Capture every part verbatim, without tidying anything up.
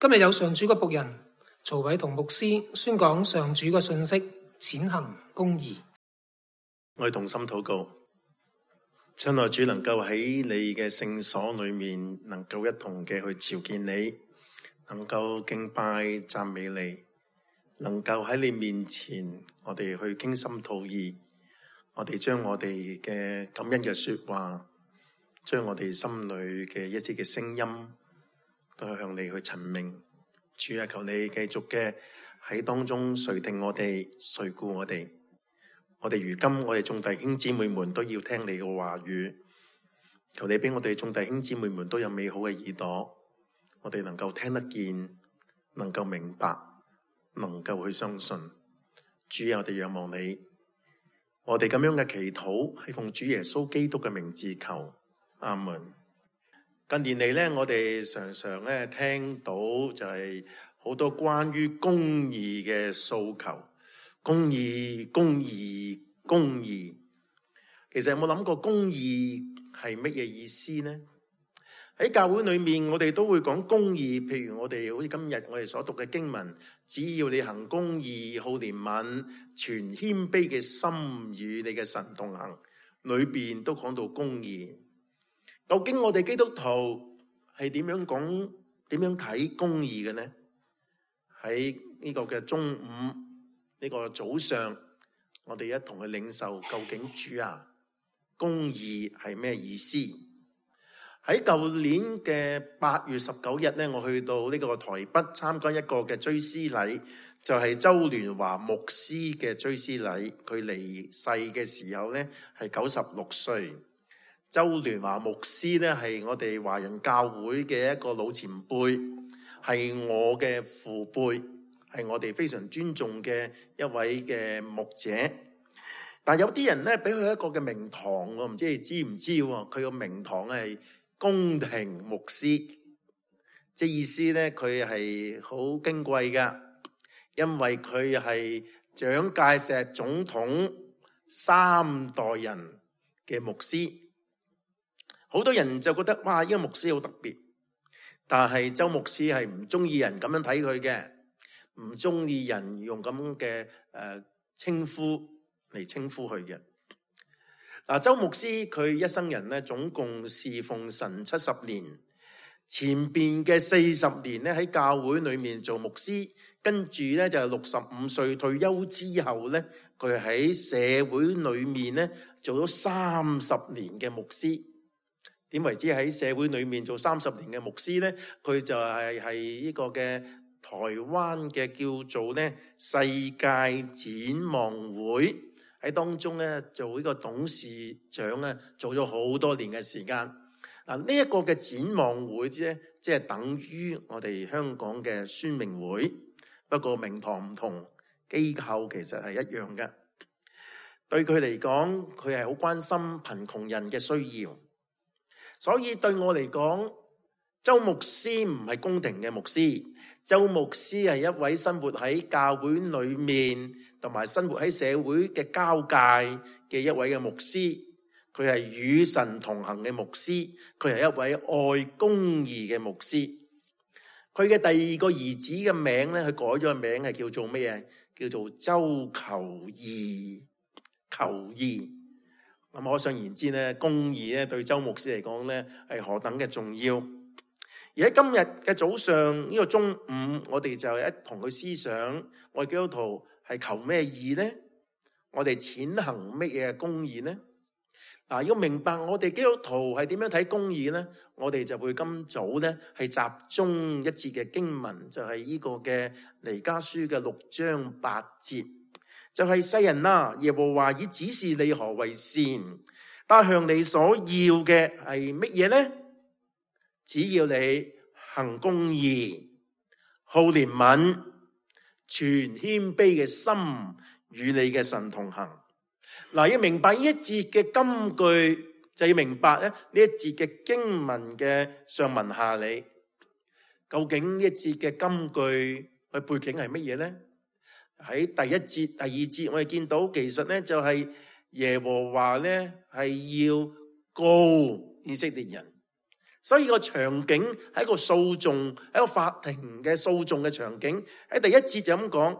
今日有上主嘅僕人曹偉同牧師宣講上主嘅信息，踐行公義。我哋同心禱告，親愛主，能夠喺你嘅聖所裏面，能夠一同嘅去朝見你，能夠敬拜讚美你，能夠喺你面前，我哋去傾心吐意，我哋將我哋嘅感恩嘅說話，將我哋心裏嘅一啲嘅聲音，都係向你去陳明。主啊，求你繼續嘅喺當中垂聽我哋，垂顧我哋。我哋如今我哋眾弟兄姊妹們都要聽你嘅話語，求你俾我哋眾弟兄姊妹們都有美好嘅耳朵，我哋能夠聽得見，能夠明白，能夠去相信。主啊，我哋仰望你，我哋咁樣嘅祈禱係奉主耶穌基督嘅名字求，阿門。近年嚟咧，我哋常常咧聽到就係好多關於公義嘅訴求，公義、公義、公義。其實有冇諗過公義係乜嘢意思呢？喺教會裏面，我哋都會講公義。譬如我哋好似今日我哋所讀嘅經文，只要你行公義、好憐憫、存謙卑嘅心與你嘅神同行，裏邊都講到公義。究竟我哋基督徒係點樣講、點樣睇公義嘅呢？喺呢個嘅中午，呢個早上，我哋一同去領受究竟主啊，公義係咩意思？喺舊年嘅八月十九日呢，我去到呢個台北參加一個嘅追思禮，就係周聯華牧師嘅追思禮。佢離世嘅時候呢，係九十六歲。周聯華牧師咧係我哋華人教會嘅一個老前輩，係我嘅父輩，係我哋非常尊重嘅一位嘅牧者。但有啲人咧俾佢一個嘅名堂，我唔知你知唔知？佢個名堂係宮廷牧師，即係意思咧佢係好矜貴噶，因為佢係蔣介石總統三代人嘅牧師。好多人就覺得哇，呢個牧師好特別，但係周牧師係唔中意人咁樣睇佢嘅，唔中意人用咁嘅誒稱呼嚟稱呼佢嘅。嗱，周牧師佢一生人咧，總共侍奉神七十年，前邊嘅四十年咧喺教會裏面做牧師，跟住咧就係六十五歲退休之後咧，佢喺社會裏面咧做咗三十年嘅牧師。點為之喺社會裏面做三十年嘅牧師呢？佢就係係呢個嘅台灣嘅叫做咧世界展望會喺當中咧做呢個董事長咧，做咗好多年嘅時間。嗱，呢一個嘅展望會啫，即係等於我哋香港嘅宣明會，不過名堂唔同，機構其實係一樣嘅。對佢嚟講，佢係好關心貧窮人嘅需要。所以對我嚟講，周牧師唔係宮廷嘅牧師，周牧師係一位生活喺教會裏面，同埋生活喺社會嘅交界嘅一位嘅牧師。佢係與神同行嘅牧師，佢係一位愛公義嘅牧師。佢嘅第二個兒子嘅名咧，佢改咗個名係叫做咩嘢？叫做周求義，求義。咁可想而知咧，公義咧對周牧師嚟講咧係何等嘅重要。而喺今日嘅早上呢個中午，我哋就一同去思想，我哋基督徒係求咩義呢？我哋踐行乜嘢公義呢？嗱，要明白我哋基督徒係點樣睇公義呢？我哋就會今早咧係集中一節嘅經文，就係呢個嘅彌迦書嘅六章八節。就係世人啊，耶和華已指示你何為善，但向你所要嘅係乜嘢呢？只要你行公義、好憐憫、存謙卑嘅心，與你嘅神同行。嗱，要明白呢一節嘅金句，就要明白咧呢一節嘅經文嘅上文下理。究竟呢一節嘅金句嘅背景係乜嘢呢？喺第一節、第二節，我哋見到其實咧就係耶和華咧係要告以色列人，所以個場景係一個訴訟，係一個法庭嘅訴訟嘅場景。喺第一節就咁講：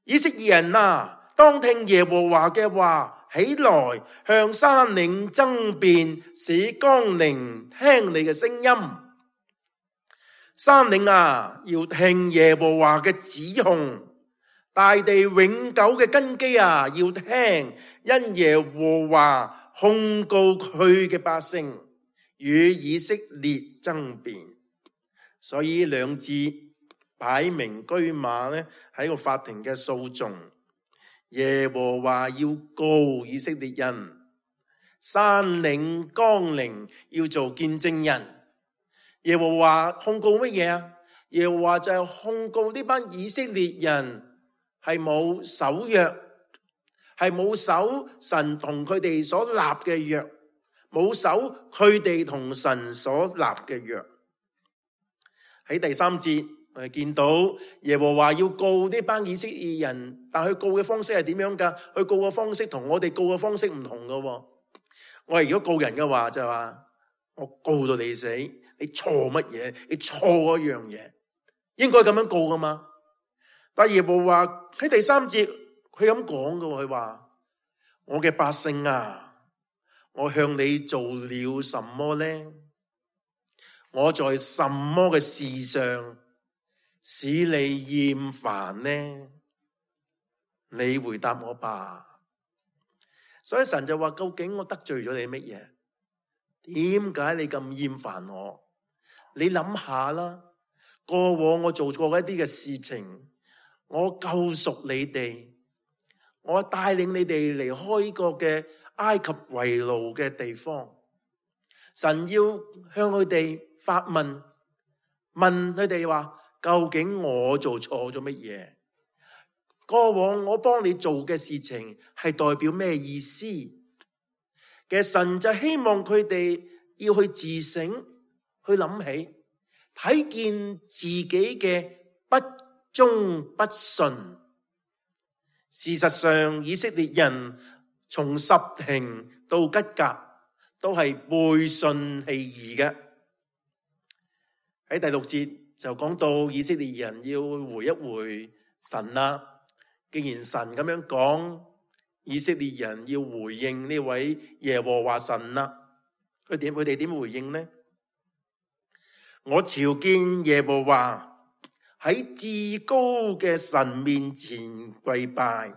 以色列人啊，當聽耶和華嘅話，起來向山嶺爭辯，使岡陵聽你嘅聲音。山嶺啊，要聽耶和華嘅指控；大地永久嘅根基啊，要聽，因耶和華控告佢嘅百姓，與以色列爭辯。所以兩節擺明車馬呢，喺個法庭嘅訴訟。耶和華要告以色列人，山嶺岡陵要做見證人。耶和華控告乜嘢啊？耶和華就係控告呢班以色列人係冇守約，係冇守神同佢哋所立嘅約，冇守佢哋同神所立嘅約。喺第三節我哋見到耶和華要告呢班以色列人，但佢告嘅方式係點樣噶？佢告嘅方式同我哋告嘅方式唔同噶。我哋如果告人嘅話就係話，我告到你死。你錯乜嘢？你錯嗰樣嘢，應該咁樣告噶嘛？但耶和華喺第三節佢咁講噶，佢話：我嘅百姓啊，我向你做了什麼呢？我在什麼嘅事上使你厭煩呢？你回答我吧。所以神就話：究竟我得罪咗你乜嘢？點解你咁厭煩我？你諗下啦，過往我做過一啲嘅事情，我救贖你哋，我帶領你哋離開呢個嘅埃及為奴嘅地方。神要向佢哋發問，問佢哋話：究竟我做錯咗乜嘢？過往我幫你做嘅事情係代表咩意思？嘅神就希望佢哋要去自省。去諗起，睇見自己嘅不忠不順。事實上，以色列人從十亭到吉甲都係背信棄義嘅。喺第六節就講到以色列人要回一回神啦。既然神咁樣講，以色列人要回應呢位耶和華神啦。佢點？佢哋點回應呢？我朝見耶和華，喺至高嘅神面前跪拜，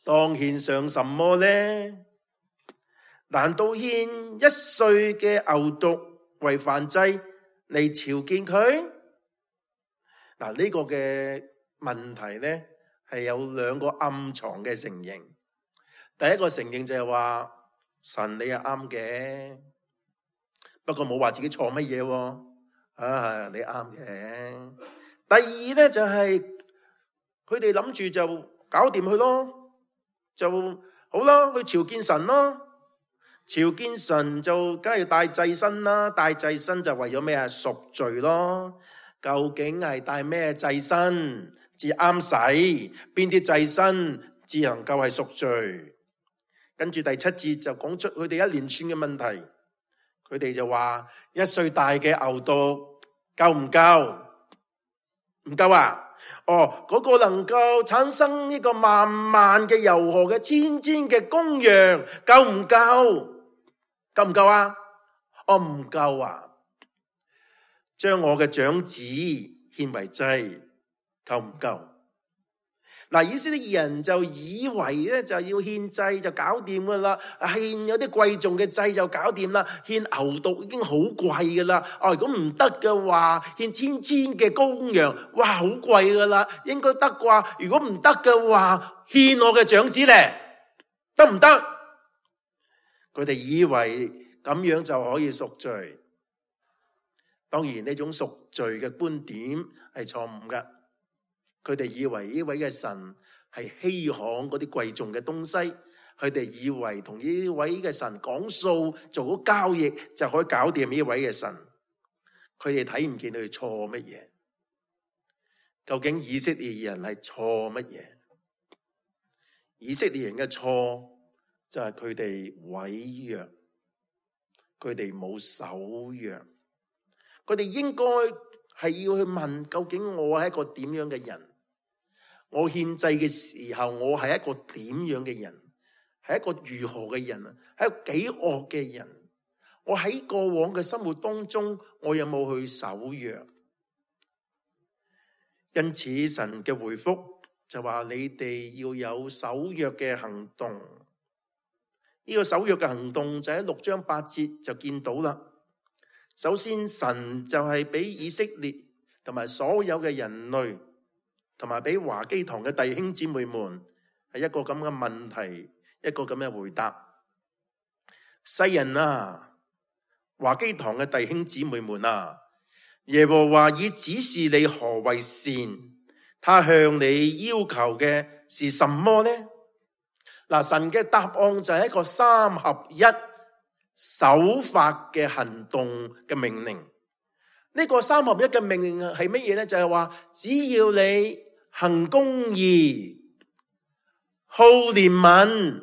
當獻上什麼呢？難道獻一歲嘅牛犢為燔祭嚟朝見佢？嗱，呢個嘅問題呢係有兩個暗藏嘅承認。第一個承認就係話，神你係啱嘅，不過冇話自己錯乜嘢喎。啊，你啱嘅。第二咧就係佢哋諗住就搞掂佢咯，就好啦，去朝見神咯。朝見神就梗係帶祭牲啦，帶祭牲就為咗咩啊？贖罪咯。究竟係帶咩祭牲至啱使？邊啲祭牲至能夠係贖罪？跟住第七節就講出佢哋一連串嘅問題。佢哋就話：一歲大嘅牛犢夠唔夠？唔夠啊！哦，嗰、那個能夠產生呢個萬萬嘅油河嘅千千嘅公羊夠唔夠？夠唔夠啊？哦，唔夠啊！將我嘅長子獻為祭，夠唔夠？嗱，以色列人就以為咧就要獻祭就搞掂噶啦，獻有啲貴重嘅祭就搞掂啦，獻牛犢已經好貴噶啦。哦，如果唔得嘅話，獻千千嘅公羊，哇，好貴噶啦，應該得啩？如果唔得嘅話，獻我嘅長子咧，得唔得？佢哋以為咁樣就可以贖罪。當然呢種贖罪嘅觀點係錯誤噶。佢哋以為呢位嘅神係稀罕嗰啲貴重嘅東西，佢哋以為同呢位嘅神講數做咗交易就可以搞掂呢位嘅神。佢哋睇唔見佢哋錯乜嘢？究竟以色列人係錯乜嘢？以色列人嘅錯就係佢哋毀約，佢哋冇守約。佢哋應該係要去問，究竟我係一個點樣嘅人？我獻祭嘅時候，我係一個點樣嘅人？係一個如何嘅人啊？係一個幾惡嘅人？我喺過往嘅生活當中，我有冇去守約？因此神嘅回覆就話：你哋要有守約嘅行動。呢個守約嘅行動就喺六章八節就見到啦。首先，神就係俾以色列同埋所有嘅人類，同埋俾華基堂嘅弟兄姊妹們，係一個咁嘅問題，一個咁嘅回答。世人啊，華基堂嘅弟兄姊妹們啊，耶和華已指示你何為善，他向你要求嘅是什麼呢？嗱，神嘅答案就係一個三合一守法嘅行動嘅命令。呢個三合一嘅命令係乜嘢呢？就係話，只要你行公義、好憐憫、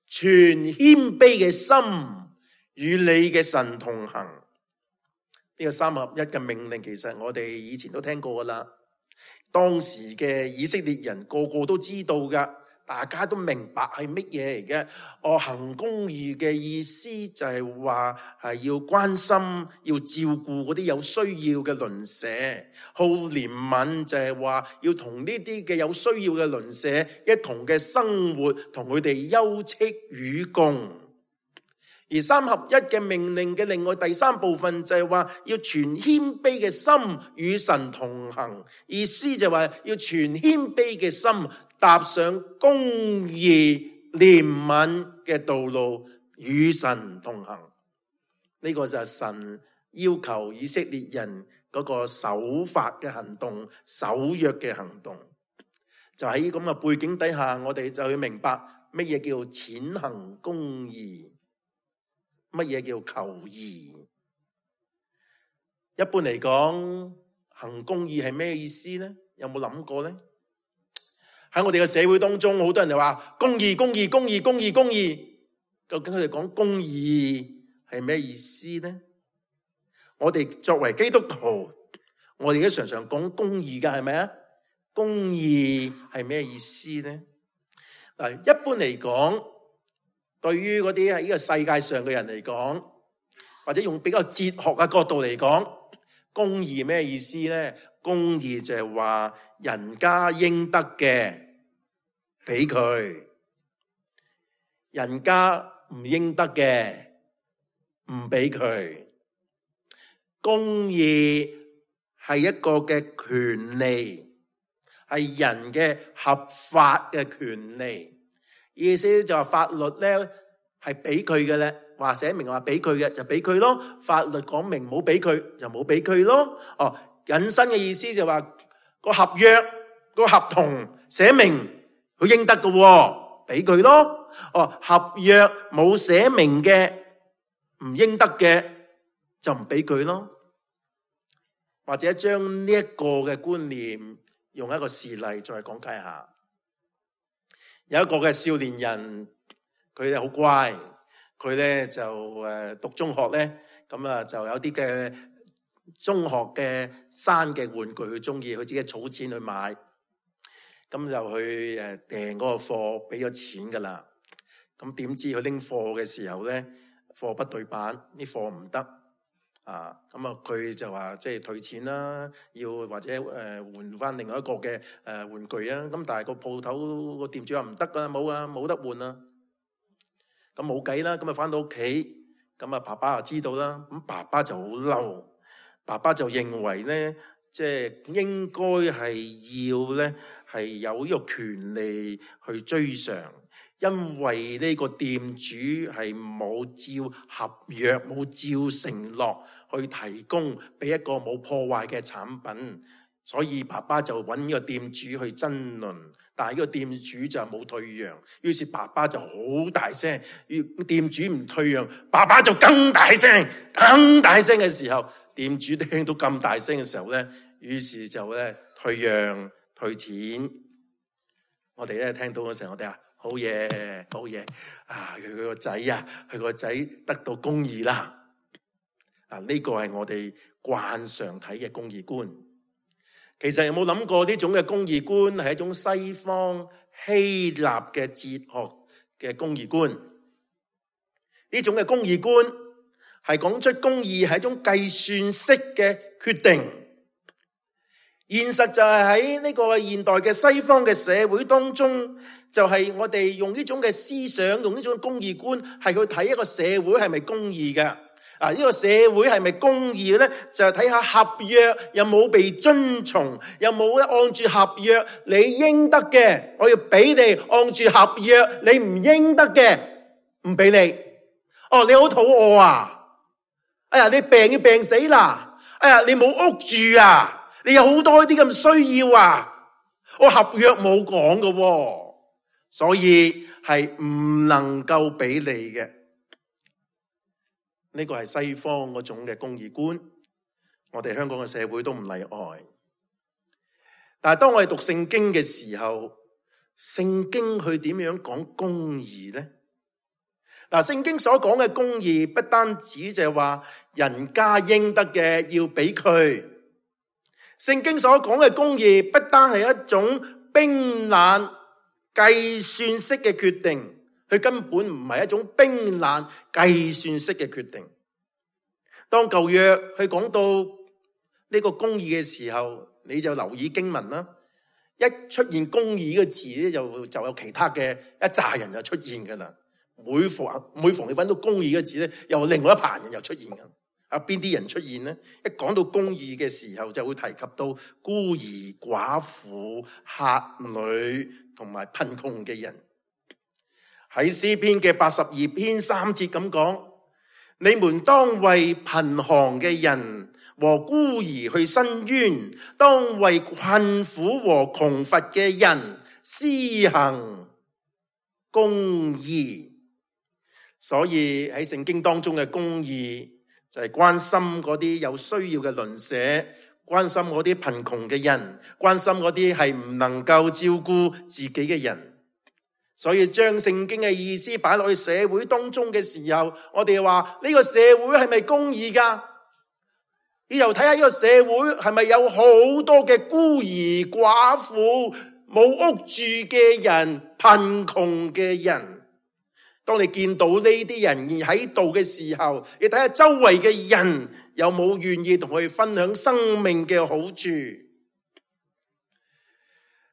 存謙卑嘅心，與你嘅神同行。呢個三合一嘅命令，其實我哋以前都聽過噶啦。當時嘅以色列人個個都知道噶，大家都明白係乜嘢嚟嘅。我行公義嘅意思就係話係要關心、要照顧嗰啲有需要嘅鄰舍。好憐憫就係話要同呢啲嘅有需要嘅鄰舍一同嘅生活，同佢哋休戚與共。而三合一嘅命令嘅另外第三部分就係話要存謙卑嘅心與神同行，意思就係話要存謙卑嘅心踏上公義憐憫嘅道路與神同行。呢個就係神要求以色列人嗰個守法嘅行動、守約嘅行動。就喺咁嘅背景底下，我哋就要明白乜嘢叫踐行公義，乜嘢叫求義？一般嚟講，行公義係咩意思呢？有冇諗過呢？喺我哋嘅社會當中，好多人就話公義、公義、公義、公義、公義。究竟佢哋講公義係咩意思呢？我哋作為基督徒，我哋都常常講公義㗎，係咪啊？公義係咩意思呢？嗱，一般嚟講，對於嗰啲喺呢個世界上嘅人嚟講，或者用比較哲學嘅角度嚟講，公義咩意思呢？公義就係話人家應得嘅俾佢，人家唔應得嘅唔俾佢。公義係一個嘅權利，係人嘅合法嘅權利。意思就係法律咧係俾佢嘅咧，話寫明話俾佢嘅就俾佢咯。法律講明冇俾佢就冇俾佢咯。哦，引申嘅意思就話個合約個合同寫明佢應得嘅，俾佢咯。哦，合約冇寫明嘅唔應得嘅就唔俾佢咯。或者將呢一個嘅觀念用一個事例再講解下。有一個嘅少年人，佢咧好乖，佢咧就誒讀中學咧，咁啊就有啲嘅中學嘅生嘅玩具佢中意，佢自己儲錢去買，咁就去誒訂嗰個貨，俾咗錢噶啦。咁點知佢拎貨嘅時候咧，貨不對版，啲貨唔得啊！咁啊佢就話即係退錢啦，要或者誒換翻另外一個嘅誒玩具啊！咁但係個鋪頭個店主話唔得噶，冇啊，冇得換啊！咁冇計啦，咁啊翻到屋企，咁啊爸爸就知道啦，咁爸爸就好嬲，爸爸就認為咧，即係應該係要咧係有呢個權利去追償。因為呢個店主係冇照合約、冇照承諾去提供俾一個冇破壞嘅產品，所以爸爸就揾呢個店主去爭論，但係呢個店主就冇退讓，於是爸爸就好大聲，店主唔退讓，爸爸就更大聲，更大聲嘅時候，店主聽到咁大聲嘅時候咧，於是就咧退讓退錢。我哋咧聽到嘅時候，我哋話好嘢，好嘢啊！佢佢個仔啊，佢個仔得到公義啦。啊，呢個係我哋慣常睇嘅公義觀。其實有冇諗過呢種嘅公義觀係一種西方希臘嘅哲學嘅公義觀？呢種嘅公義觀係講出公義係一種計算式嘅決定。現實就係喺呢個現代嘅西方嘅社會當中，就係、是、我哋用呢種嘅思想，用呢種公義觀，係去睇一個社會係咪公義嘅。啊，呢個社會係咪公義咧？就係睇下合約有冇被遵從，有冇按住合約你應得嘅，我要俾你；按住合約你唔應得嘅，唔俾你。哦，你好肚餓啊！哎呀，你病要病死啦！哎呀，你冇屋住啊！你有好多啲咁需要啊！我合約冇講㗎，所以係唔能夠俾你嘅。呢個係西方嗰種嘅公義觀，我哋香港嘅社會都唔例外。但係當我哋讀聖經嘅時候，聖經佢點樣講公義呢？嗱，聖經所講嘅公義不單止就係話人家應得嘅要俾佢，聖經所講嘅公義不單係一種冰冷計算式嘅決定。佢根本唔係一種冰冷計算式嘅決定。當舊約佢講到呢個公義嘅時候，你就留意經文啦。一出現公義嘅字咧，就就有其他嘅一紮人就出現噶啦。每逢每逢你揾到公義嘅字咧，又另外一棚人又出現噶。啊，邊啲人出現呢？一講到公義嘅時候，就會提及到孤兒寡婦、客旅同埋貧窮嘅人。喺詩篇嘅八十二篇三節咁講，你們當為貧寒嘅人和孤兒去伸冤，當為困苦和窮乏嘅人施行公義。所以喺聖經當中嘅公義就係關心嗰啲有需要嘅鄰舍，關心嗰啲貧窮嘅人，關心嗰啲係唔能夠照顧自己嘅人。所以將聖經嘅意思擺落去社會當中嘅時候，我哋話呢個社會係咪公義噶？你又睇下呢個社會係咪有好多嘅孤兒寡婦、冇屋住嘅人、貧窮嘅人？當你見到呢啲人喺度嘅時候，你睇下周圍嘅人有冇願意同佢分享生命嘅好處？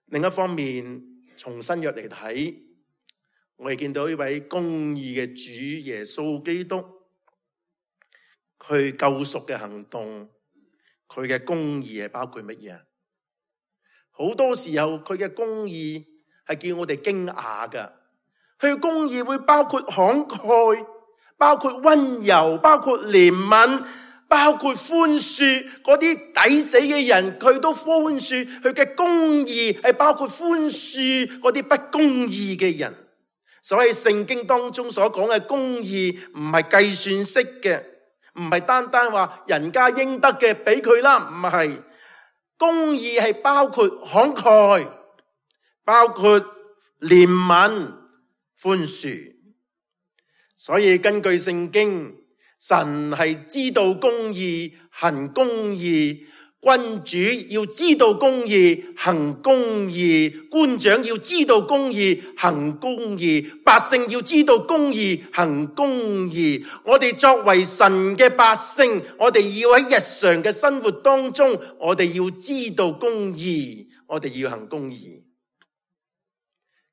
另一方面，從新約嚟睇，我哋見到一位公義嘅主耶穌基督，佢救贖嘅行動，佢嘅公義係包括乜嘢？好多時候佢嘅公義係叫我哋驚訝噶，佢嘅公義會包括慷慨，包括溫柔，包括憐憫，包括寬恕嗰啲抵死嘅人，佢都寬恕。佢嘅公義係包括寬恕嗰啲不公義嘅人。所以聖經當中所講嘅公義唔係計算式嘅，唔係單單話人家應得嘅俾佢啦，唔係。公義係包括慷慨，包括憐憫、寬恕。所以根據聖經，神係知道公義、行公義。君主要知道公義，行公義；官長要知道公義，行公義；百姓要知道公義，行公義。我哋作為神嘅百姓，我哋要喺日常嘅生活當中，我哋要知道公義，我哋要行公義。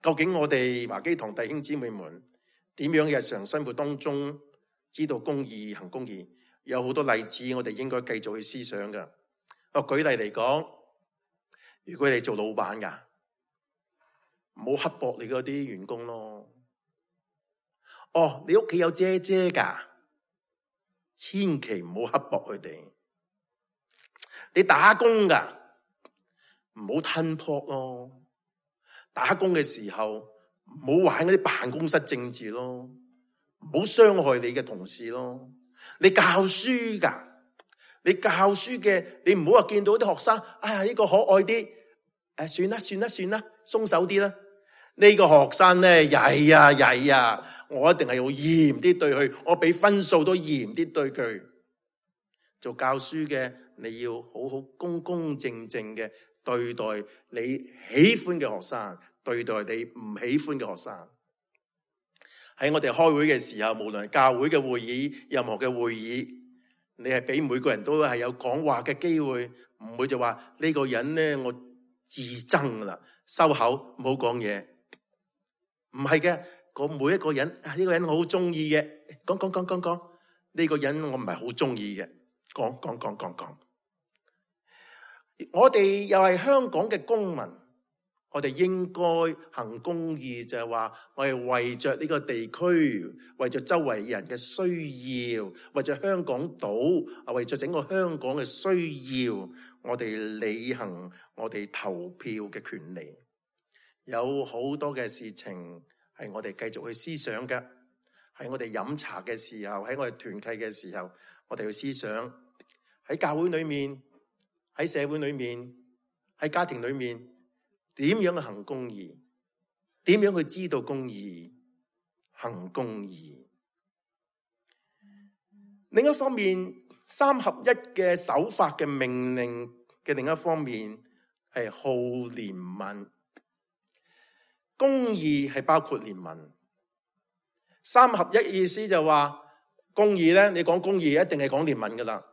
究竟我哋華基堂弟兄姊妹們點樣日常生活當中知道公義、行公義？有好多例子，我哋應該繼續去思想㗎。我舉例嚟講，如果你做老闆噶，唔好刻薄你嗰啲員工咯。哦，你屋企有姐姐噶，千祈唔好刻薄佢哋。你打工噶，唔好吞扑咯。打工嘅時候唔好玩嗰啲辦公室政治咯，唔好傷害你嘅同事咯。你教書噶。你教書嘅，你唔好話見到啲學生，哎呀呢個可愛啲，誒算啦算啦算啦，鬆手啲啦。呢個學生咧曳啊曳啊，我一定係要嚴啲對佢，我俾分數都嚴啲對佢。做教書嘅，你要好好公公正正嘅對待你喜歡嘅學生，對待你唔喜歡嘅學生。喺我哋開會嘅時候，無論係教會嘅會議，任何嘅會議，你係俾每個人都係有講話嘅機會，唔會就話呢個人呢，我自憎啦，收口唔好講嘢。唔係嘅，個每一個人啊，呢個人我好中意嘅，講講講講講，呢個人我唔係好中意嘅，講講講講講。我哋又係香港嘅公民，我哋應該行公義，就係話我係為着呢個地區，為着周圍人嘅需要，為着香港島，啊，為着整個香港嘅需要，我哋履行我哋投票嘅權利。有好多嘅事情係我哋繼續去思想嘅，喺我哋飲茶嘅時候，喺我哋團契嘅時候，我哋去思想喺教會裏面，喺社會裏面，喺家庭裏面，點樣去行公義？點樣去知道公義？行公義。另一方面，三合一嘅守法嘅命令嘅另一方面係好憐憫。公義係包括憐憫。三合一意思就話公義咧，你講公義一定係講憐憫噶啦。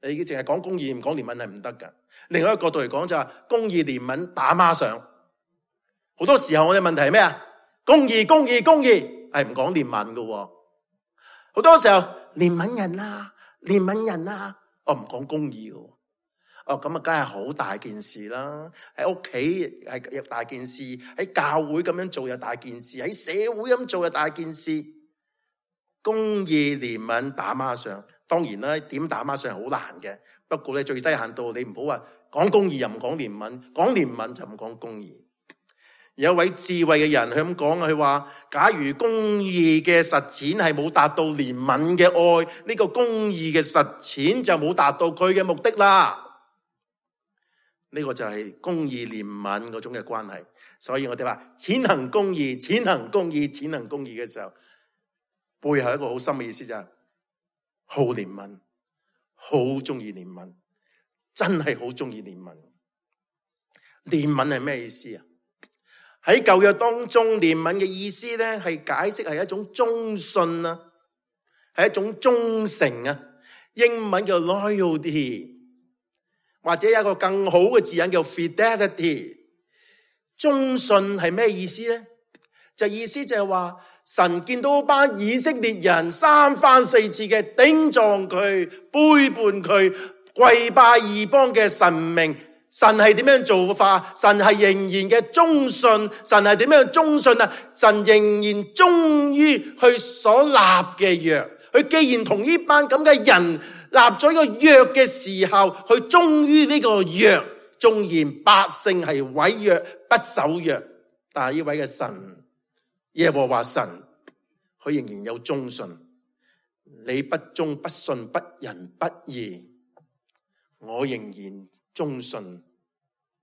你淨係講公義唔講憐憫係唔得噶。另外一個角度嚟講就係公義憐憫打孖上。好多時候我哋問題係咩啊？公義公義公義係唔講憐憫噶。好多時候憐憫人啊，憐憫人啊，我唔講公義噶。哦，咁啊，梗係好大件事啦！喺屋企係有大件事，喺教會咁樣做有大件事，喺社會咁做有大件事。公義憐憫打孖上，當然啦，點打孖上係好難嘅。不過咧，最低限度你唔好話講公義又唔講憐憫，講憐憫就唔講公義。有一位智慧嘅人佢咁講，佢話：假如公義嘅實踐係冇達到憐憫嘅愛，呢個公義嘅實踐就冇達到佢嘅目的啦。呢個就係公義憐憫嗰種嘅關係，所以我哋話踐行公義、踐行公義、踐行公義嘅時候，背後一個好深嘅意思就係好憐憫，好中意憐憫，真係好中意憐憫。憐憫係咩意思啊？喺舊約當中，憐憫嘅意思咧係解釋係一種忠信啊，係一種忠誠啊。英文叫 loyalty。或者有一個更好嘅字眼叫 fidelity。 忠信係咩意思呢？就意思就係話神見到班以色列人三番四次嘅頂撞佢、背叛佢、跪拜異邦嘅神明，神係點樣做法？神係仍然嘅忠信。神係點樣忠信啊？神仍然忠於佢所立嘅約。佢既然同呢班咁嘅人立咗一個約嘅時候，佢忠於呢個約，縱然百姓係違約不守約，但係呢位嘅神耶和華神，佢仍然有忠信。你不忠不信不仁不義，我仍然忠信，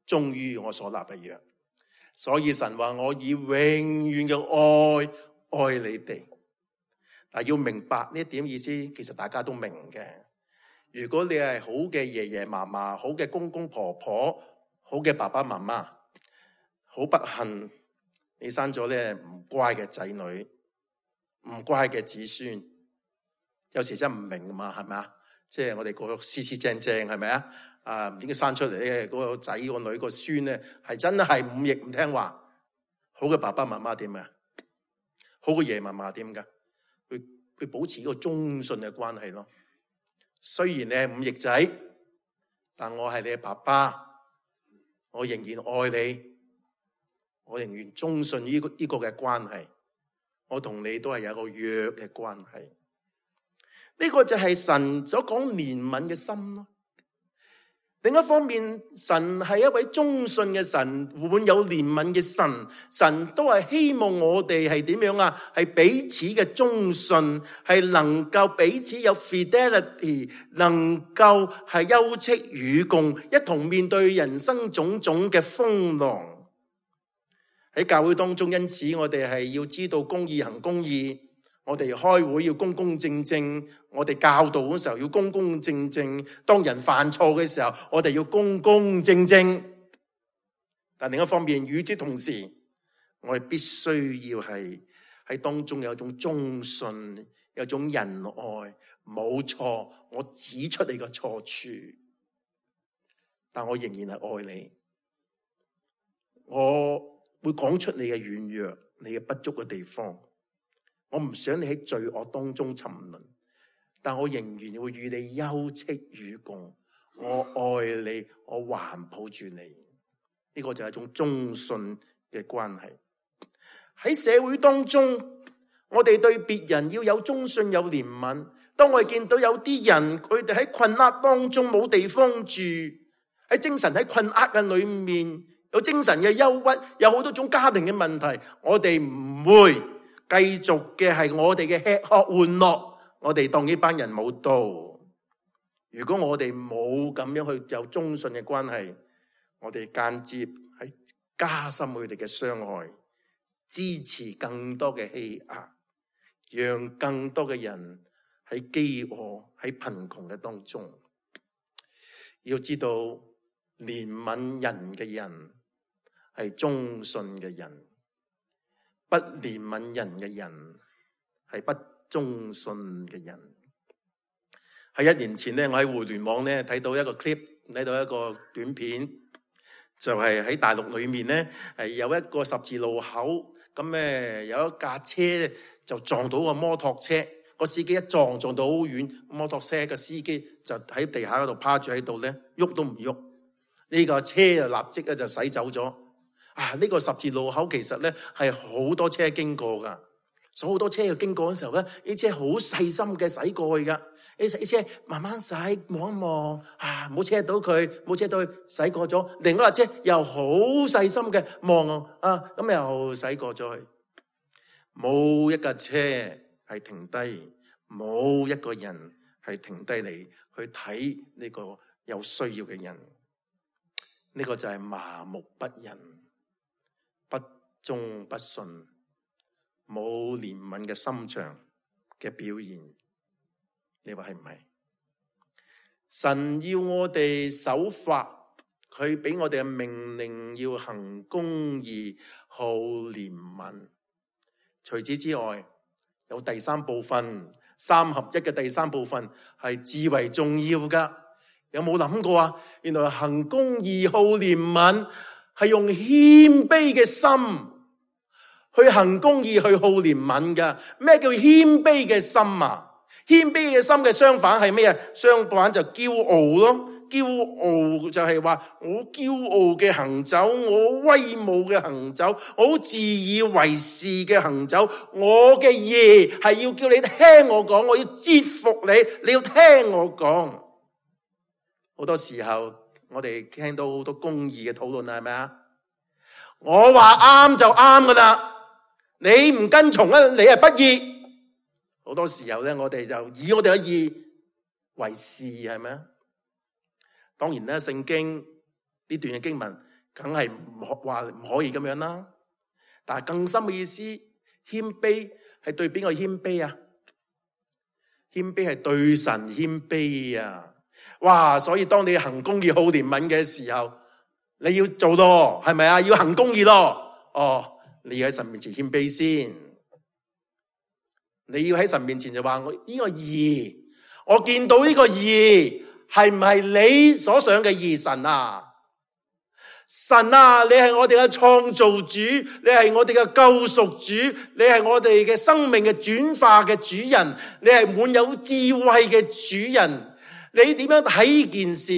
忠於我所立嘅約。所以神話我以永遠嘅愛愛你哋。嗱，要明白呢一點意思，其實大家都明嘅。如果你係好嘅爺爺嫲嫲，好嘅公公婆婆，好嘅爸爸媽媽，好不幸你生咗咧唔乖嘅仔女，唔乖嘅子孫，有時真唔明嘛，係咪啊？即係我哋個四四正正係咪啊？啊，唔知點解生出嚟咧，嗰個仔個女個孫咧係真係忤逆唔聽話。好嘅爸爸媽媽點啊？好嘅爺爺嫲嫲點噶？去去保持一個忠信嘅關係咯。雖然你係忤逆仔，但我係你嘅爸爸，我仍然愛你，我仍然忠信呢個呢個嘅關係。我同你都係有一個約嘅關係。呢個就係神所講憐憫嘅心咯。另一方面，神係一位忠信嘅神，滿有憐憫嘅神。神都係希望我哋係點樣啊？係彼此嘅忠信，係能夠彼此有 fidelity， 能夠係休戚與共，一同面對人生種種嘅風浪。喺教會當中，因此我哋係要知道公義行公義，我哋開會要公公正正，我哋教導嘅時候要公公正正，當人犯錯嘅時候，我哋要公公正正。但另一方面，與之同時，我哋必須要係喺當中有一種忠信，有一種仁愛。冇錯，我指出你個錯處，但我仍然係愛你。我會講出你嘅軟弱，你嘅不足嘅地方。我唔想你喺罪惡當中沉淪，但我仍然會與你休戚與共。我愛你，我環抱住你。呢個就係一種忠信嘅關係。喺社會當中，我哋對別人要有忠信，有憐憫。當我哋見到有啲人，佢哋喺困厄當中冇地方住，喺精神喺困厄嘅裏面，有精神嘅憂鬱，有好多種家庭嘅問題，我哋唔會繼續嘅係我哋嘅吃喝玩樂，我哋當呢班人冇到。如果我哋冇咁樣去有忠信嘅關係，我哋間接係加深佢哋嘅傷害，支持更多嘅欺壓，讓更多嘅人喺飢餓、喺貧窮嘅當中。要知道，憐憫人嘅人係忠信嘅人，不憐憫人嘅人係不忠信嘅人。喺一年前咧，我喺互聯網咧睇到一個 clip， 睇到一個短片，就係喺大陸裏面咧係有一個十字路口，咁咧有一架車就撞到個摩托車，個司機一撞撞到好遠，摩托車嘅司機就喺地下嗰度趴住喺度咧，喐都唔喐。呢個車就立即咧就駛走咗。啊！呢個十字路口其實咧係好多車經過噶，所以好多車要經過嘅時候咧，呢車好細心嘅駛過去噶。呢車慢慢駛，望一望，啊，冇車到佢，冇車到佢，駛過咗。另外一架車又好細心嘅望啊，咁又駛過咗去。冇一架車係停低，冇一個人係停低嚟去睇呢個有需要嘅人。呢個就係麻木不仁、不忠不信、冇憐憫嘅心腸嘅表現。你話係唔係？神要我哋守法，佢俾我哋嘅命令要行公義、好憐憫。除此之外，有第三部分，三合一嘅第三部分係至為重要噶。有冇諗過啊？原來行公義、好憐憫係用謙卑嘅心去行公義、去好憐憫噶。咩叫謙卑嘅心啊？謙卑嘅心嘅相反係咩啊？相反就驕傲咯。驕傲就係話我驕傲嘅行走，我威武嘅行走，我好自以為是嘅行走。我嘅義係要叫你聽我講，我要折服你，你要聽我講。好多時候我哋聽到好多公義嘅討論係咪啊？我話啱就啱噶啦，你唔跟從咧，你係不義。好多時候咧，我哋就以我哋嘅義為是，係咪啊？當然咧，聖經呢段嘅經文梗係唔話唔可以咁樣啦。但係更深嘅意思，謙卑係對邊個謙卑啊？謙卑係對神謙卑啊！哇！所以當你行公義、好憐憫嘅時候，你要做咯，係咪啊？要行公義咯。哦，你要喺神面前謙卑先。你要喺神面前就話我呢個義，我見到呢個義係唔係你所想嘅義？神啊，神啊，你係我哋嘅創造主，你係我哋嘅救贖主，你係我哋嘅生命嘅轉化嘅主人，你係滿有智慧嘅主人。你點樣睇呢件事？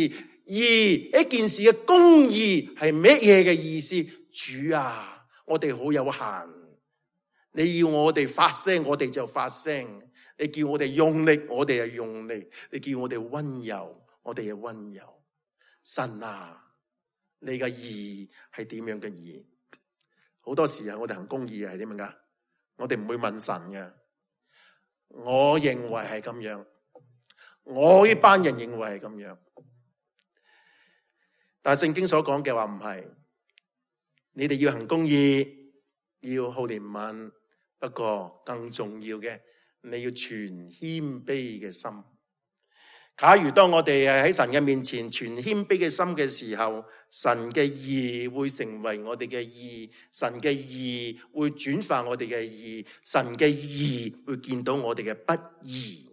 義，一件事嘅公義係乜嘢嘅意思？主啊，我哋好有限。你要我哋發聲，我哋就發聲；你叫我哋用力，我哋就用力；你叫我哋溫柔，我哋就溫柔。神啊，你嘅義係點樣嘅義？好多時候我哋行公義係點樣噶？我哋唔會問神嘅。我認為係咁樣，我呢班人認為係咁樣，但係聖經所講嘅話唔係。你哋要行公義，要好憐憫。不過更重要嘅你要存謙卑嘅心。假如當我哋係喺神嘅面前存謙卑嘅心嘅時候，神嘅義會成為我哋嘅義，神嘅義會轉化我哋嘅義，神嘅義會見到我哋嘅不義。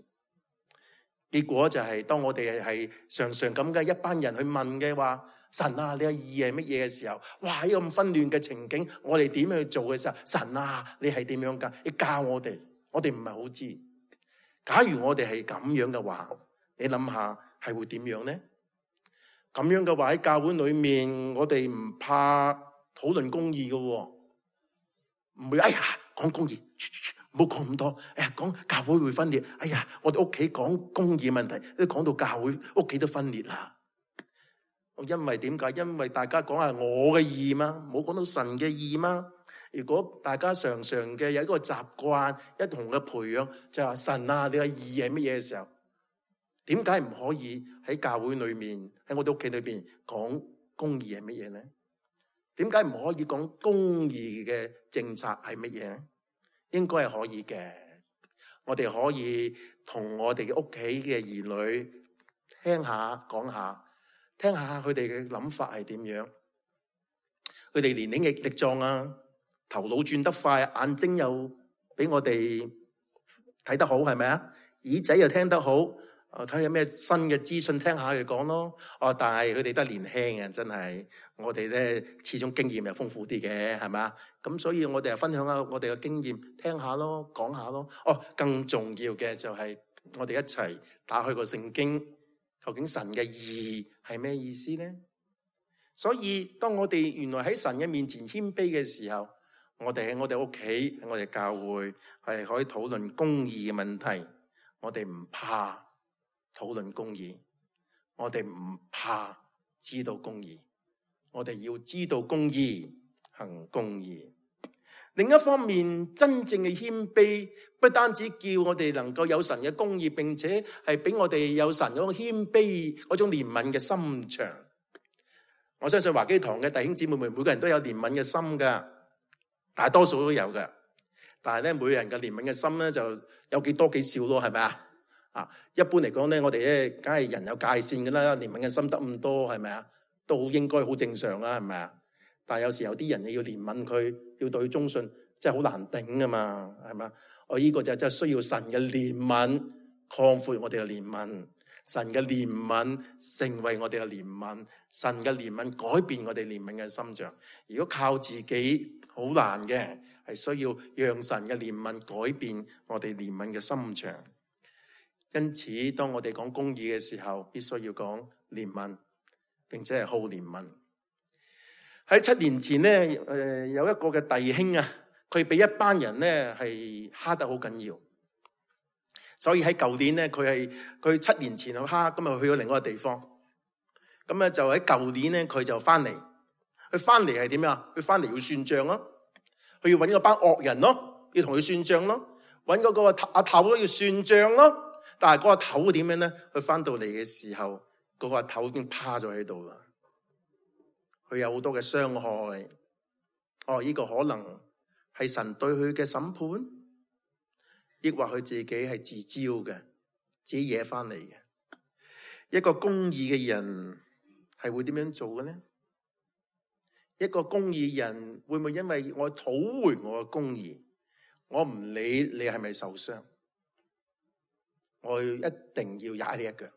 結果就係當我哋係常常咁嘅一班人去問嘅話，神啊，你嘅義係乜嘢嘅時候，哇，喺咁紛亂嘅情景，我哋點樣去做嘅時候，神啊，你係點樣噶？你教我哋，我哋唔係好知。假如我哋係咁樣嘅話，你諗下係會點樣呢？咁樣嘅話喺教會裏面，我哋唔怕討論公義嘅，唔會哎呀講公義，唔好講咁多。哎呀講教會會分裂，哎呀我哋屋企講公義問題，都講到教會屋企都分裂啦。因為點解？因為大家講係我嘅義嘛，冇講到神嘅義嘛。如果大家常常嘅有一個習慣，一同嘅培養，就係話神啊，你嘅義係乜嘢嘅時候？點解唔可以喺教會裏面，喺我哋屋企裏邊講公義係乜嘢呢？點解唔可以講公義嘅政策係乜嘢呢？應該係可以嘅。我哋可以同我哋嘅屋企嘅兒女聽下講下，聽下佢哋嘅諗法係點樣。佢哋年齡力壯啊，頭腦轉得快，眼睛又比我哋睇得好，係咪啊？耳仔又聽得好。我睇下有咩新嘅資訊，聽下佢講咯。哦，但係佢哋都年輕嘅，真係我哋咧始終經驗又豐富啲嘅，係咪？咁所以我哋又分享下我哋嘅經驗，聽下咯，講下咯。哦，更重要嘅就係我哋一齊打開個聖經，究竟神嘅義係咩意思呢？所以當我哋原來喺神嘅面前謙卑嘅時候，我哋喺我哋屋企，喺我哋教會係可以討論公義嘅問題，我哋唔怕討論公義，我哋唔怕知道公義，我哋要知道公義，行公義。另一方面，真正嘅謙卑不單止叫我哋能夠有神嘅公義，並且係俾我哋有神嗰種謙卑嗰種憐憫嘅心腸。我相信華基堂嘅弟兄姊妹們每個人都有憐憫嘅心噶，大多數都有噶。但係咧，每個人嘅憐憫嘅心咧就有幾多幾少咯，係咪啊？啊，一般嚟講咧，我哋咧梗係人有界線噶啦，憐憫嘅心得咁多，係咪啊？都好應該好正常啦，係咪啊？但係有時有啲人你要憐憫佢，要對佢忠信，真係好難頂噶嘛，係咪啊？我呢個就真係需要神嘅憐憫，擴闊我哋嘅憐憫，神嘅憐憫成為我哋嘅憐憫，神嘅憐憫改變我哋憐憫嘅心腸。如果靠自己好難嘅，係需要讓神嘅憐憫改變我哋憐憫嘅心腸。因此，當我哋講公義嘅時候，必須要講憐憫，並且係好憐憫。喺七年前咧，誒有一個嘅弟兄啊，佢俾一班人咧係蝦得好緊要，所以喺舊年咧，佢係佢七年前去蝦，咁啊去咗另外一個地方，咁咧就喺舊年咧佢就翻嚟，佢翻嚟係點樣？佢翻嚟要算賬咯，佢要揾嗰班惡人咯，要同佢算賬咯，揾嗰個阿頭都要算賬咯。但係嗰個頭點樣咧？佢翻到嚟嘅時候，嗰個頭已經趴咗喺度啦。佢有好多嘅傷害。哦，呢個可能係神對佢嘅審判，抑或佢自己係自招嘅，自己惹翻嚟嘅。一個公義嘅人係會點樣做嘅呢？一個公義人會唔會因為我討回我嘅公義，我唔理你係咪受傷，我一定要踩你一腳，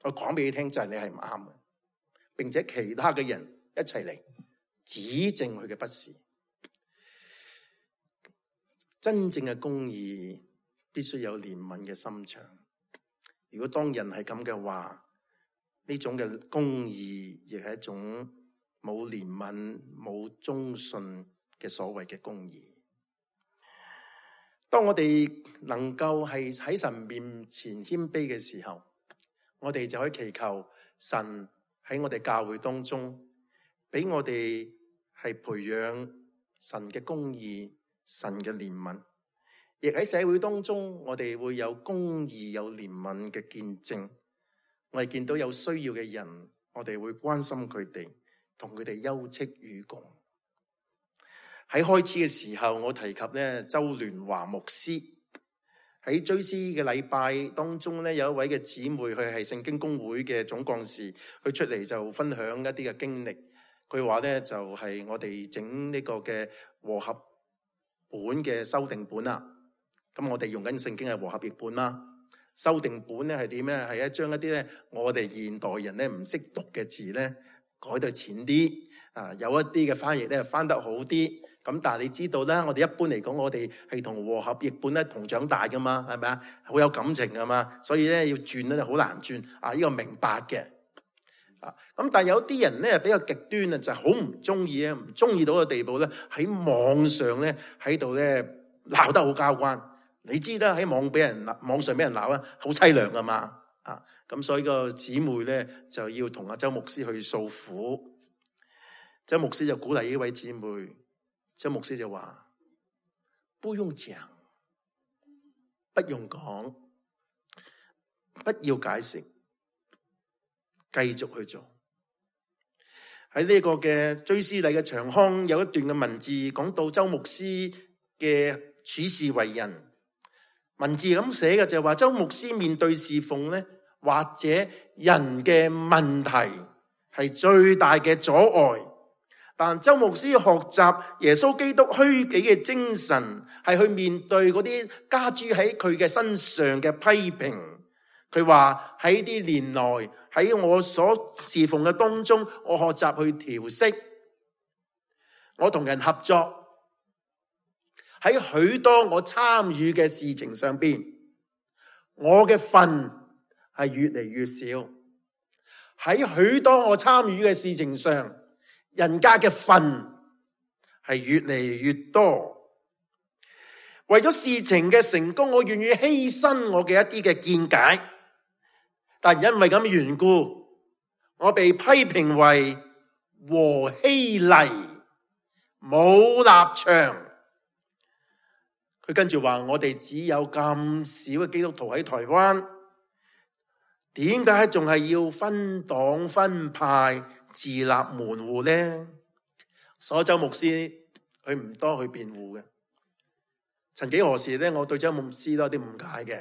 我講俾你聽就係你係唔啱嘅，並且其他嘅人一齊嚟指正佢嘅不是。真正嘅公義必須有憐憫嘅心腸。如果當人係咁嘅話，呢種嘅公義亦係一種冇憐憫、冇忠信嘅所謂嘅公義。當我哋能夠係喺神面前謙卑嘅時候，我哋就可以祈求神喺我哋教會當中，俾我哋係培養神嘅公義、神嘅憐憫，亦喺社會當中，我哋會有公義、有憐憫嘅見證。我哋見到有需要嘅人，我哋會關心佢哋，同佢哋休戚與共。喺開始嘅時候，我提及咧周聯華牧師，喺追思嘅禮拜當中咧，有一位嘅姊妹，佢係聖經公會嘅總幹事，佢出嚟就分享一啲嘅經歷。佢話咧就係、是、我哋整呢個嘅和合本嘅修訂本啦。咁我哋用緊聖經係和合譯本啦。修訂本咧係點咧？係一將一啲咧我哋現代人咧唔識讀嘅字咧改到淺啲啊，有一啲嘅翻譯咧翻得好啲。咁但係你知道啦，我哋一般嚟講，我哋係同和合譯本咧同長大噶嘛，係咪啊？好有感情噶嘛，所以咧要轉咧就好難轉啊！呢個明白嘅啊。咁但係有啲人咧比較極端啊，就係好唔中意啊，唔中意到個地步咧喺網上咧喺度咧鬧得好交關。你知啦，喺網俾人網上俾人鬧啊，好凄涼噶嘛啊！咁所以個姊妹咧就要同阿周牧師去訴苦。周牧師就鼓勵呢位姊妹。周牧師就話：不用講，不用講，不要解釋，繼續去做。喺呢個嘅追思禮嘅長腔有一段嘅文字講到周牧師嘅處事為人。文字咁寫嘅就係話，周牧師面對侍奉咧，或者人嘅問題係最大嘅阻礙。但周牧師學習耶穌基督虛己嘅精神，係去面對嗰啲加諸喺佢嘅身上嘅批評。佢話喺啲年來喺我所侍奉嘅當中，我學習去調適，我同人合作，喺許多我參與嘅事情上邊，我嘅份係越嚟越少。喺許多我參與嘅事情上，人家嘅份係越嚟越多。為咗事情嘅成功，我願意犧牲我嘅一啲嘅見解，但因為咁嘅緣故，我被批評為和稀泥，冇立場。佢跟住話：我哋只有咁少嘅基督徒喺台灣，點解仲係要分黨分派？自立門戶呢？所以周牧師佢唔多去辯護嘅。曾幾何時呢，我對周牧師都有啲誤解嘅。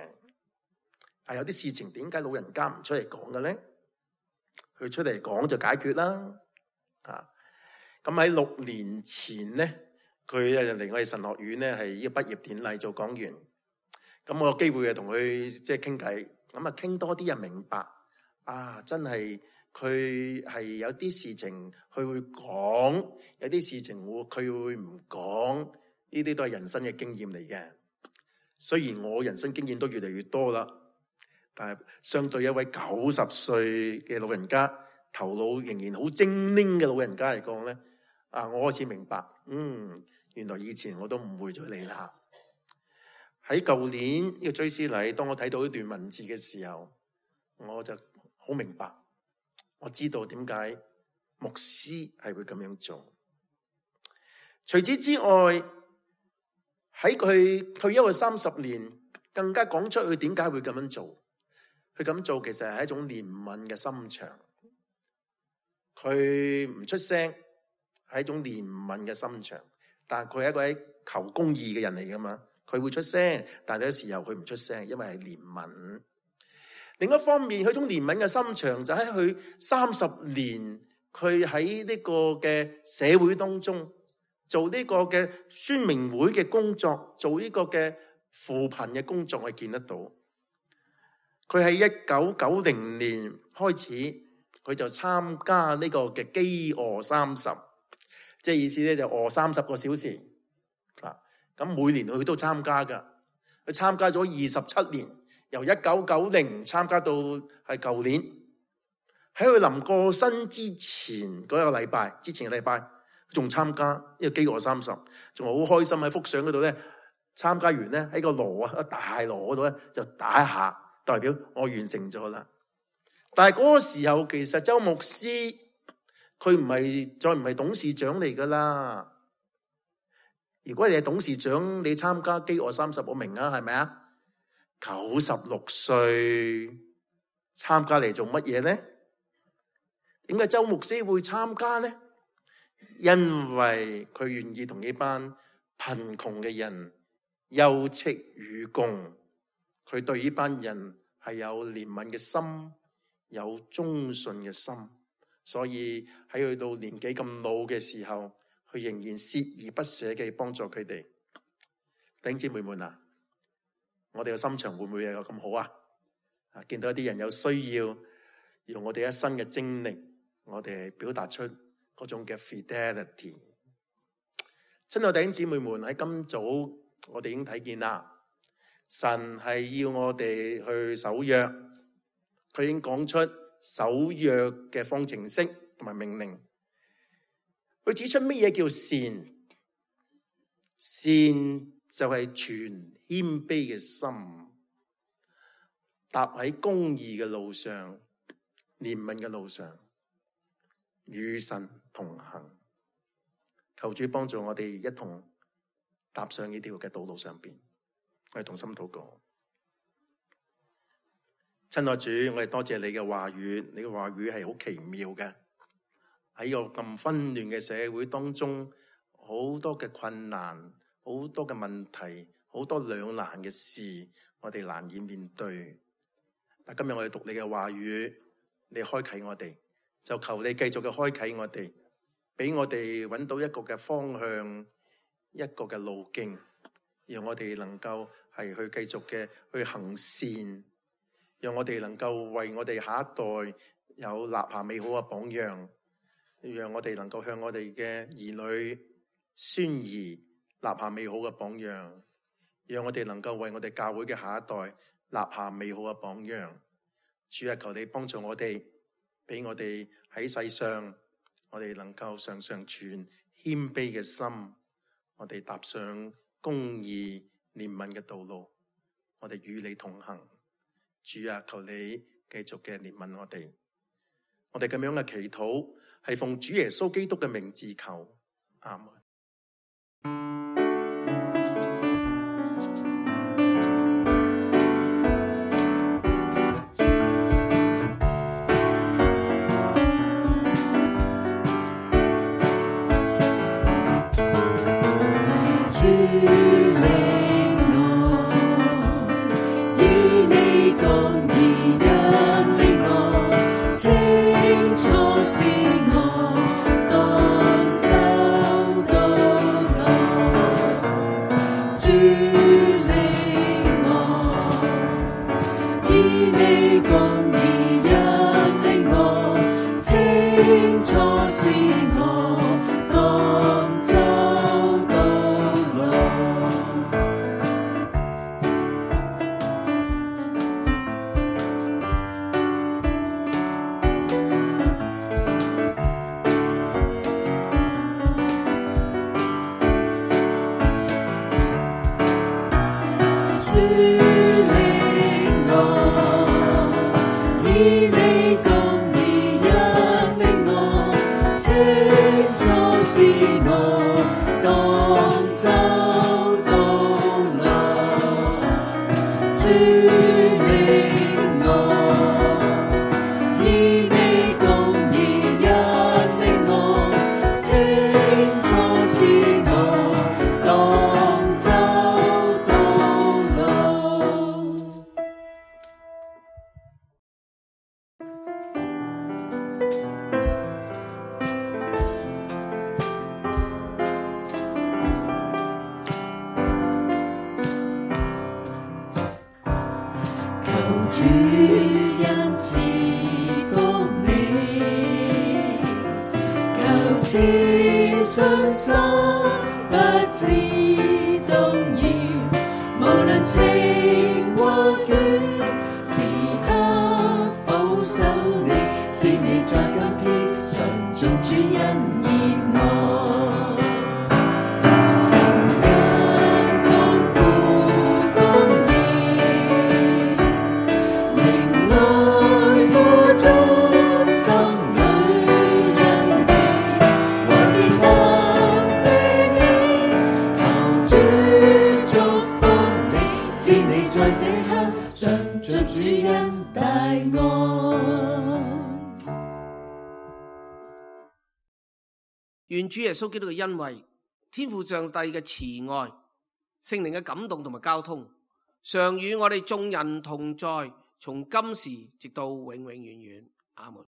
係有啲事情點解老人家唔出嚟講嘅呢？佢出嚟講就解決啦。啊，咁喺六年前呢，佢嚟我哋神學院呢，係呢個畢業典禮做講員。咁我有機會啊同佢即係傾偈，咁啊傾多啲人明白啊，真係。佢係有啲事情佢會講，有啲事情會佢會唔講，呢啲都係人生嘅經驗嚟嘅。雖然我人生經驗都越嚟越多啦，但係相對一位九十歲嘅老人家，頭腦仍然好精靈嘅老人家嚟講咧，啊，我開始明白，嗯，原來以前我都誤會咗你啦。喺舊年呢個追思禮，當我睇到呢段文字嘅時候，我就好明白。我知道點解牧師係會咁樣做。除此之外，喺佢退休嘅三十年，更加講出佢點解會咁樣做。佢咁做其實係一種憐憫嘅心腸。佢唔出聲係一種憐憫嘅心腸，但係佢係一個喺求公義嘅人嚟噶嘛。佢會出聲，但係有時候佢唔出聲，因為係憐憫。另一方面，佢種憐憫嘅心腸就喺佢三十年，佢喺呢個嘅社會當中做呢個嘅宣明會嘅工作，做呢個嘅扶貧嘅工作，我見得到。佢喺一九九零年開始，佢就參加呢個嘅飢餓三十，即係意思咧就餓三十個小時啊。咁每年佢都參加噶，佢參加咗二十七年。由一九九零參加到係舊年，喺佢臨過身之前嗰個禮拜，之前嘅禮拜仲參加呢個飢餓三十，仲好開心喺幅相嗰度咧。參加完咧喺個鑼啊，大鑼嗰度咧就打一下，代表我完成咗啦。但係嗰個時候，其實周牧師佢唔係再唔係董事長嚟噶啦。如果你係董事長，你參加飢餓三十，我明啊，係咪啊？九十六歲參加嚟做乜嘢呢？點解周牧師會參加呢？因為佢願意同呢班貧窮嘅人休戚與共，佢對呢班人係有憐憫嘅心，有忠信嘅心，所以喺去到年紀咁老嘅時候，佢仍然鍥而不捨嘅幫助佢哋。弟兄姊妹們啊，我哋嘅心腸會唔會有咁好啊？啊，見到一啲人有需要，用我哋一生嘅精力，我哋表達出嗰種嘅 fidelity。親愛弟兄姊妹們，喺今早我哋已經睇見啦，神係要我哋去守約，佢已經講出守約嘅方程式同埋命令。佢指出乜嘢叫善？善就係全謙卑嘅心，踏喺公義嘅路上，憐憫嘅路上，與神同行。求主幫助我哋一同踏上呢條嘅道路上邊，我哋同心禱告。親愛主，我哋多謝你嘅話語，你嘅話語係好奇妙嘅。喺個咁紛亂嘅社會當中，好多嘅困難，好多嘅問題，好多兩難嘅事，我哋難以面對。但今日我哋讀你嘅話語，你開啟我哋，就求你繼續嘅開啟我哋，俾我哋揾到一個嘅方向，一個嘅路徑，讓我哋能夠係去繼續嘅去行善，讓我哋能夠為我哋下一代有立下美好嘅榜樣，讓我哋能夠向我哋嘅兒女孫兒立下美好嘅榜樣，讓我哋能夠為我哋教會嘅下一代立下美好嘅榜樣。主啊，求你幫助我哋，俾我哋喺世上，我哋能夠常常存謙卑嘅心，我哋踏上公義憐憫嘅道路，我哋與你同行。主啊，求你繼續嘅憐憫我哋。我哋咁樣嘅祈禱係奉主耶穌基督嘅名字求，阿門。願主耶穌基督嘅恩惠、天父上帝嘅慈愛、聖靈嘅感動同埋交通，常與我哋眾人同在，從今時直到永永遠遠。阿門。